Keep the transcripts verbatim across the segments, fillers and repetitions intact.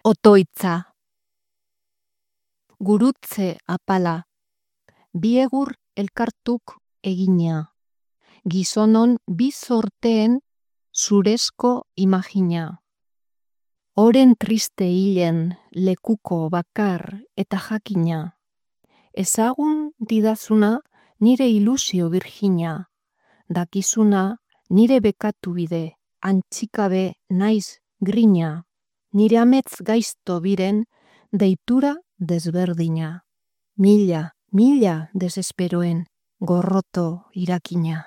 Otoitza. Gurutze apala. Biegur elkartuk egina. Gizonon bizorteen zurezko imagina. Oren triste hilen lekuko bakar eta jakina. Ezagun didazuna nire ilusio virgina. Dakizuna nire bekatu bide, antxikabe naiz grina. Nire ametz gaizto biren deitura desberdina. Mila, mila desesperoen gorroto irakina.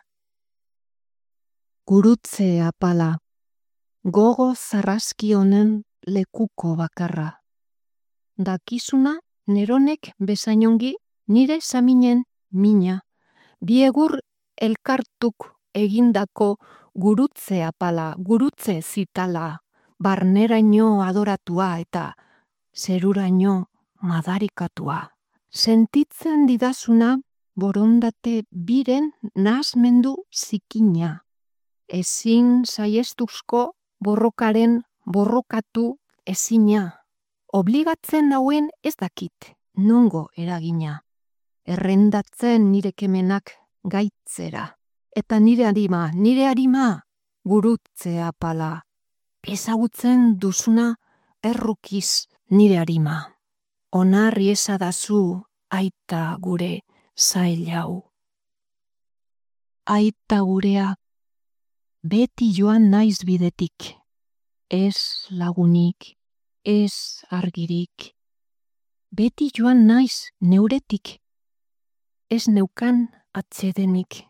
Gurutze apala. Gogo zarraski honen lekuko bakarra. Dakizuna neronek bezainongi nire saminen mina. Biegur elkartuk egindako gurutze apala, gurutze zitala. Barneraino adoratua eta zeruraino madarikatua. Sentitzen didazuna borondate biren nahasmendu zikina. Ezin saiestuzko borrokaren borrokatu ezina. Obligatzen hauen ez dakit nongo eragina. Errendatzen nire kemenak gaitzera. Eta nire arima, nire arima gurutze apala. Ezagutzen duzuna errukiz nire arima. Onarri esadazu aita gure zail hau. Aita gurea, beti joan naiz bidetik. Ez lagunik, ez argirik. Beti joan naiz neuretik. Ez neukan atsedenik.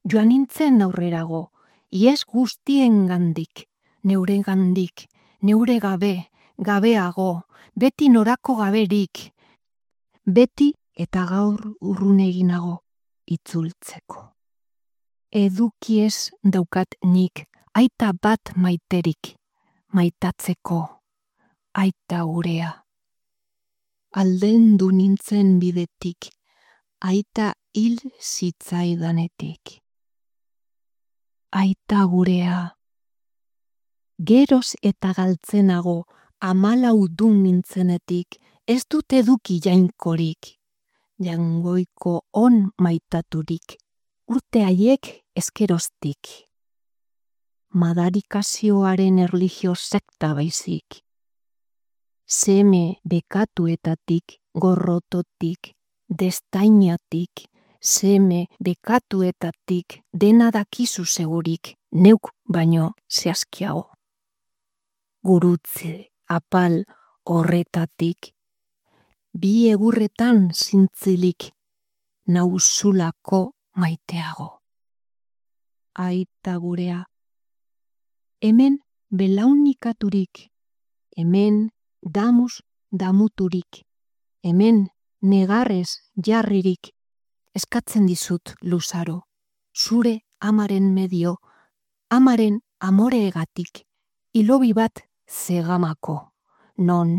Joan nintzen aurrerago, ies guztien gandik. Neure gandik, neure gabe, gabeago, beti norako gaberik, beti eta gaur urruneginago itzultzeko. Edukiez daukat nik, aita bat maiterik, maitatzeko, aita gurea. Aldendu nintzen bidetik, aita hil zitzaidanetik. Aita gurea. Geroz eta galtzenago amalaudun nintzenetik, ez dut eduki jainkorik, jangoiko on maitaturik, urte haiek ezkeroztik. Madarikazioaren erlijio sekta baizik. Seme bekatuetatik, gorrototik, destainatik, seme bekatuetatik, dena dakizu segurik, neuk baino zehazkiago. Gurutze apal horretatik, bi egurretan zintzilik, nauzulako maiteago. Aita gurea, hemen belaunikaturik, hemen damuz damuturik, hemen negarrez jarririk, eskatzen dizut luzaro, zure amaren medio, amaren amoreegatik, ilobi bat zegamako, non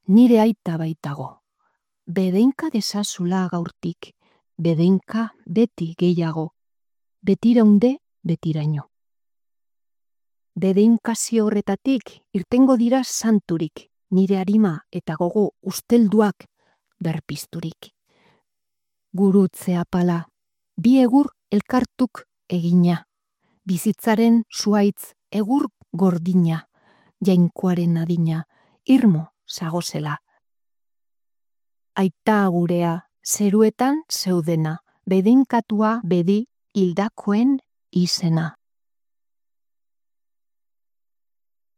nire aita baitago. Bedeinka desazula gaurtik, bedeinka beti gehiago, betiraunde betiraino. Bedeinkazio horretatik irtengo dira santurik, nire arima eta gogo ustelduak berpizturik. Gurutze apala, bi egur elkartuk egina, bizitzaren zuaitz egur gordina, jainkoaren adina, irmo zagozela. Aita gurea, zeruetan zeudena, bedeinkatua bedi hildakoen izena.